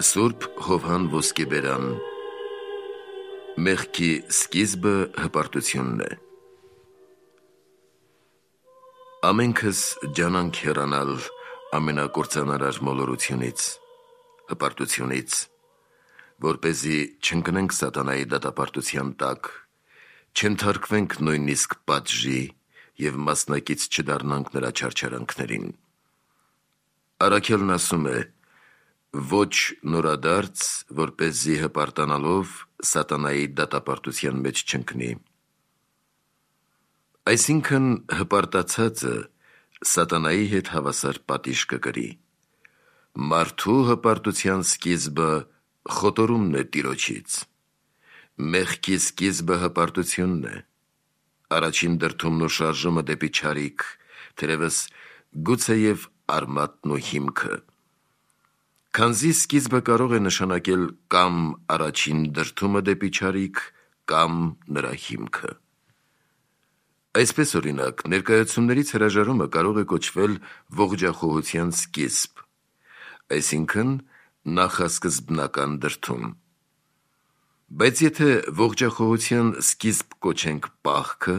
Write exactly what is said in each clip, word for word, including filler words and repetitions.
Սուրբ Հովհան Ոսկեբերան Մեղքի սկիզբը հպարտությունն է։ Ամենքս ջանանք հեռանալ ամենակործանարար մոլորությունից, հպարտությունից, որպեսզի չընկնենք սատանայի դատապարտության տակ, չենթարկվենք նույնիսկ պատժի և մասնակից չդառնանք նրա չարչարանքներին։ Առաքելն ասում է. ոչ նորադարձ, որպեսզի հպարտանալով սատանայի դատապարտության մեջ չընկնի։ Այսինքն հպարտացածը սատանայի հետ հավասար պատիժ կկրի։ Մարդու հպարտության սկիզբը խոտորումն է Տիրոջից։ Մեղքի սկիզբը հպարտությունն է։ Առաջին դրդումն ու շարժումը դեպի չարիք, թերևս գուցեև արմատն ու հիմքը։ Քանզի սկիզբը կարող է նշանակել կամ առաջին դրդումը դեպի չարիք, կամ նրա հիմքը։ Այսպես օրինակ, ներկայացումներից հրաժարումը կարող է կոչվել ողջախոհության սկիզբ, այսինքն նախասկզբնական դրդում։ Բայց եթե ողջախոհության սկիզբ կոչենք պահքը,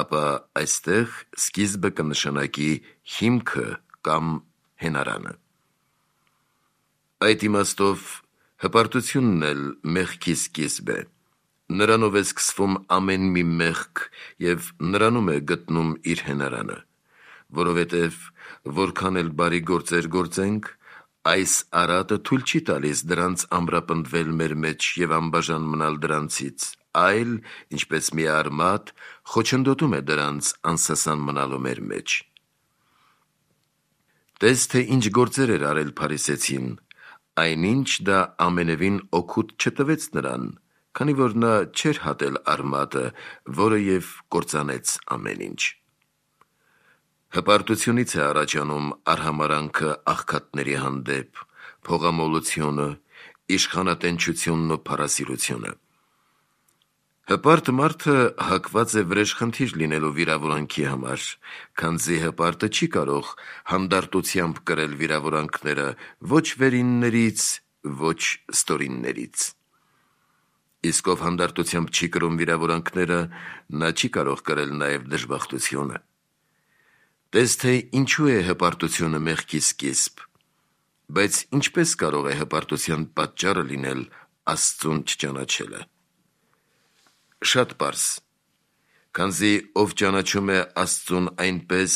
ապա այստեղ սկիզբը կնշանակի հիմքը կամ հենարանը։ Այդ իմաստով հպարտությունն էլ մեղքի սկիզբ է։ Նրանով է սկսվում ամեն մի մեղք և նրանում է գտնում իր հենարանը, որովհետև որքան էլ բարի գործեր գործենք, այս արատը թույլ չի տալիս դրանց ամրապնդվել մեր մեջ և անբաժան մնալ դրանցից, այլ, ինչպես մի արմատ, խոչընդոտում է դրանց անսասան մնալու մեր մեջ։ Տես, թե ինչ գործեր էր արել փարիսեցին, այնինչ դա ամենևին օգուտ չտվեց նրան, քանի որ նա չէր հատել արմատը, որը և կործանեց ամեն ինչ։ Հպարտությունից է առաջանում արհամարհանքը աղքատների հանդեպ, փողամոլությունը, իշխանատենչությունն ու փառասիրությունը։ Հպարտ մարդը հակված է վրեժխնդիր լինելու վիրավորանքի համար, քանզի հպարտը չի կարող հանդարտությամբ կրել վիրավորանքները ոչ վերիններից, ոչ ստորիններից։ Իսկ ով հանդարտությամբ չի կրում վիրավորանքները, նա չի կարող կրել նաև դժբախտությունը։ Տես, թե ինչու է հպարտությունը մեղքի սկիզբ, բայց ինչպես կարող է հպարտության պատճառը լինել Աստծուն չճանաչելը։ Շատ պարզ, քանզի ով ճանաչում է Աստծուն այնպես,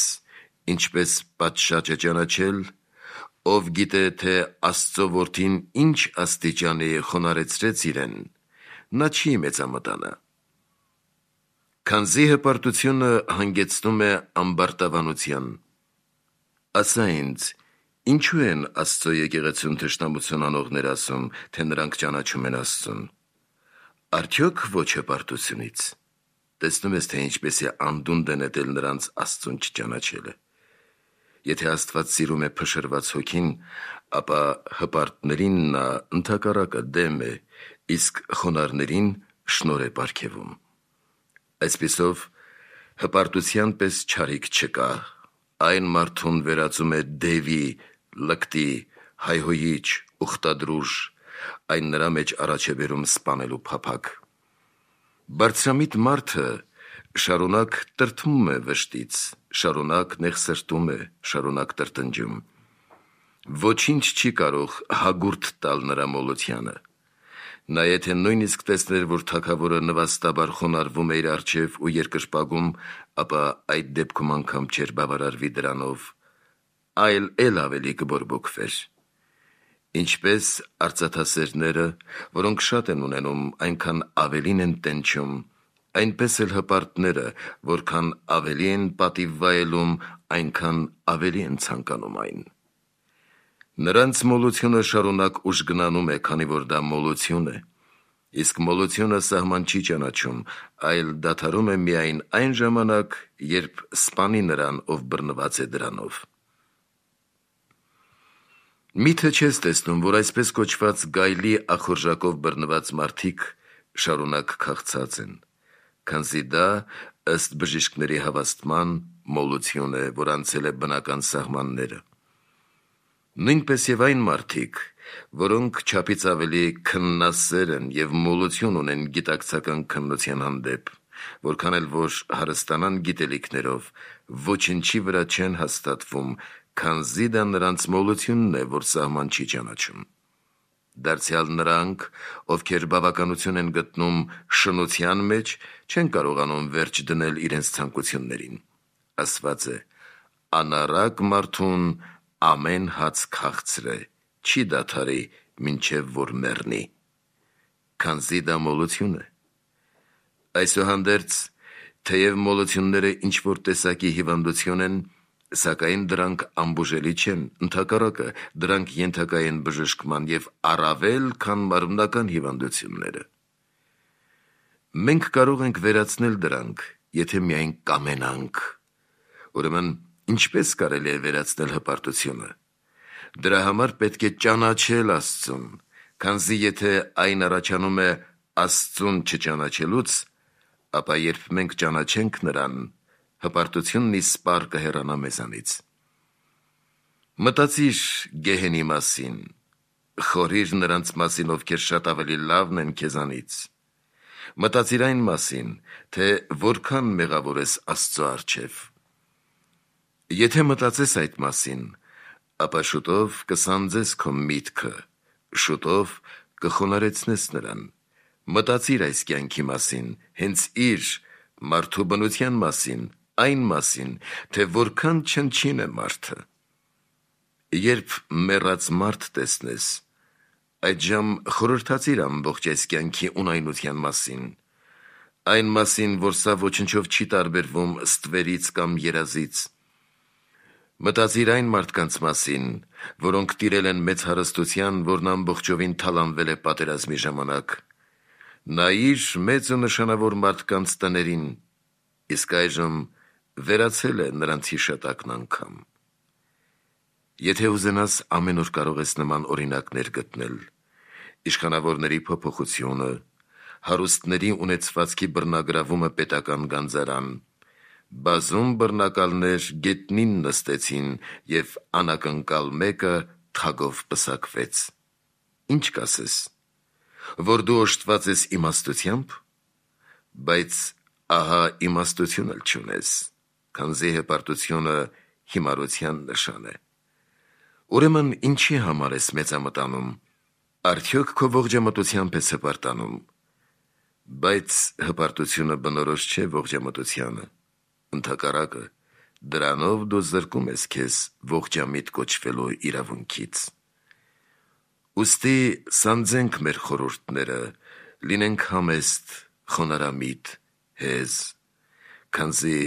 ինչպես պատշաճ է ճանաչել, ով գիտե, թե Աստծո որդին ինչ աստիճանի խոնարհեցրեց իրեն, նա չի մեծամտանա։ Քանզի հպարտությունը հանգեցնում է ամբարտավանության։ Ասա ինձ, ինչու են Աստծո եկեղեցուն թշնամություն անողներ ասում, թե նրանք ճանաչում են Աստծուն։ Արդյոք ոչ հպարտությունից։ Տեսնում ես, թե ինչպես է անդունդը նետել նրանց Աստծուն չճանաչելը։ Եթե Աստված սիրում է փշրված հոգին, ապա հպարտներին նա ընդհակառակը դեմ է, իսկ խոնարհներին շնորհ է պարգևում։ Այսպիսով, հպարտության պես չարիք չկա, այն մարդուն վերածում է դևի, լկտի, հայհոյիչ, ուխտադրուժ, այն նրա մեջ առաջ է բերում սպանելու փափագ։ Բարձրամիտ մարդը շարունակ տրտմում է վշտից, շարունակ նեղսրտում է, շարունակ տրտնջում։ Ոչինչ չի կարող հագուրդ տալ նրա մոլությանը։ Նա եթե նույնիսկ տեսներ, որ թագավորը նվաստաբար խոնարհվում է իր առջև ու երկրպագում, ապա այդ դեպքում անգամ չէր բավարարվի դրանով, այլ էլ ավելի կբորբոքվեր։ Ինչպես արծաթասերները, որոնք շատ են ունենում, այնքան ավելին են տենչում, այնպես էլ հպարտները, որքան ավելի են պատիվ վայելում, այնքան ավելի են ցանկանում այն։ Նրանց մոլությունը շարունակ ուժգնանում է, քանի որ դա մոլություն է, իսկ մոլությունը սահման չի ճանաչում, այլ դադարում է միայն այն ժամանակ, երբ սպանի նրան, ով բռնված է դրանով։ Միթե չես տեսնում, որ այսպես կոչված գայլի ախորժակով բռնված մարդիկ շարունակ քաղցած են, քանզի դա, ըստ բժիշկների հավաստման, մոլություն է, որ անցել է բնական սահմանները։ Նույնպես և այն մարդիկ, որոնք չափից ավելի քննասեր են և մոլություն ունեն գիտակցական քննության հանդեպ, որքան էլ որ հարստանան գիտելիքներով, ոչնչի վրա չեն հաստատվում, քանզի դա նրանց մոլությունն է, որ սահման չի ճանաչում։ Դարձյալ նրանք, ովքեր բավականություն են գտնում շնության մեջ, չեն կարողանում վերջ դնել իրենց ցանկություններին։ Ասված է. «Անառակ մարդուն ամեն հաց քաղցր է, չի դադարի, մինչև որ մեռնի», քանզի դա մոլություն է։ Այսուհանդերձ, թեև մոլությունները ինչ-որ տեսակի հիվանդություն են, սակայն դրանք անբուժելի չեն, ընդհակառակը, դրանք ենթակա են բժշկման և առավել, քան մարմնական հիվանդությունները։ Մենք կարող ենք վերացնել դրանք, եթե միայն կամենանք։ Ուրեմն, ինչպես կարելի է վերացնել հպարտությունը։ Դրա համար պետք է ճանաչել Աստծուն, քանզի եթե այն առաջանում է Աստծուն չճանաչելուց, ապա երբ մենք ճանաչենք նրան, հպարտությունն իսպառ կհեռանա մեզանից։ Մտածիր գեհենի մասին, խորհիր նրանց մասին, ովքեր շատ ավելի լավն են քեզանից։ Մտածիր այն մասին, թե որքան մեղավոր ես Աստծո առջև։ Եթե մտածես այդ մասին, ապա շուտով կսանձես քո միտքը, շուտով կխոնարհեցնես նրան։ Մտածիր այս կյանքի մասին, հենց իր մարդու բնության մասին, այն մասին, թե որքան չնչին է մարդը։ Երբ մեռած մարդ տեսնես, այդժամ խորհրդացիր ամբողջ այս կյանքի ունայնության մասին, այն մասին, որ սա ոչնչով չի տարբերվում ստվերից կամ երազից։ Մտածիր այն մարդկանց մասին, որոնք տիրել են մեծ հարստության, որն ամբողջովին թալանվել է պատերազմի ժամանակ։ Նայիր մեծ ու նշանավոր մարդկանց տներին, իսկ այժմ վերացել է նրանց հիշատակն անգամ։ Եթե ուզենաս, ամեն օր կարող ես նման օրինակներ գտնել. իշխանավորների փոփոխությունը, հարուստների ունեցվածքի բռնագրավումը պետական գանձարան, բազում բռնակալներ գետնին նստեցին և անակնկալ մեկը թագով պսակվեց։ Ինչ կասես, որ դու օժտված ես իմաստությամբ, բայց ահա իմաստություն էլ չունես, քանզի հպարտությունը հիմարության նշան է։ Ուրեմն ինչի համար ես մեծամտանում, արդյոք քո ողջամտությամբ ես հպարտանում, բայց հպարտությունը բնորոշ չէ ողջամտությանը, ընդհակառակը, դրանով դու զրկում ես քեզ ողջամիտ կոչվելու իրավունքից։ Ուստի սանձենք մեր խորհուրդները, լինենք համեստ, խոնարհամիտ, հեզ, քանզի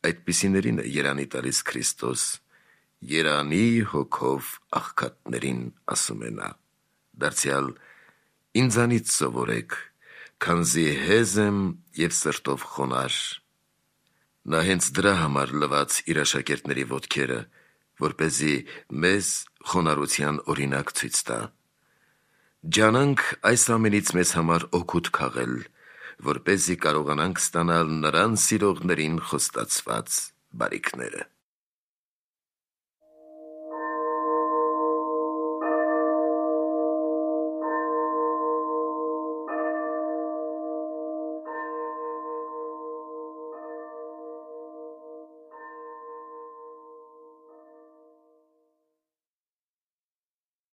այդպիսիներին է երանի տալիս Քրիստոս, երանի հոգով աղքատներին ասում է նա։ Դարձյալ ինձանից սովորեք, քանզի հեզ եմ և սրտով խոնարհ։ Նա հենց դրա համար լվաց իր աշակերտների ոտքերը, որպեսզի մեզ խոնարհության օրինակ ցույց տա։ Ջանանք այս ամենից մեզ համար օգուտ քաղել, որպեսզի կարողանանք ստանալ նրան սիրողներին խոստացված բարիքները։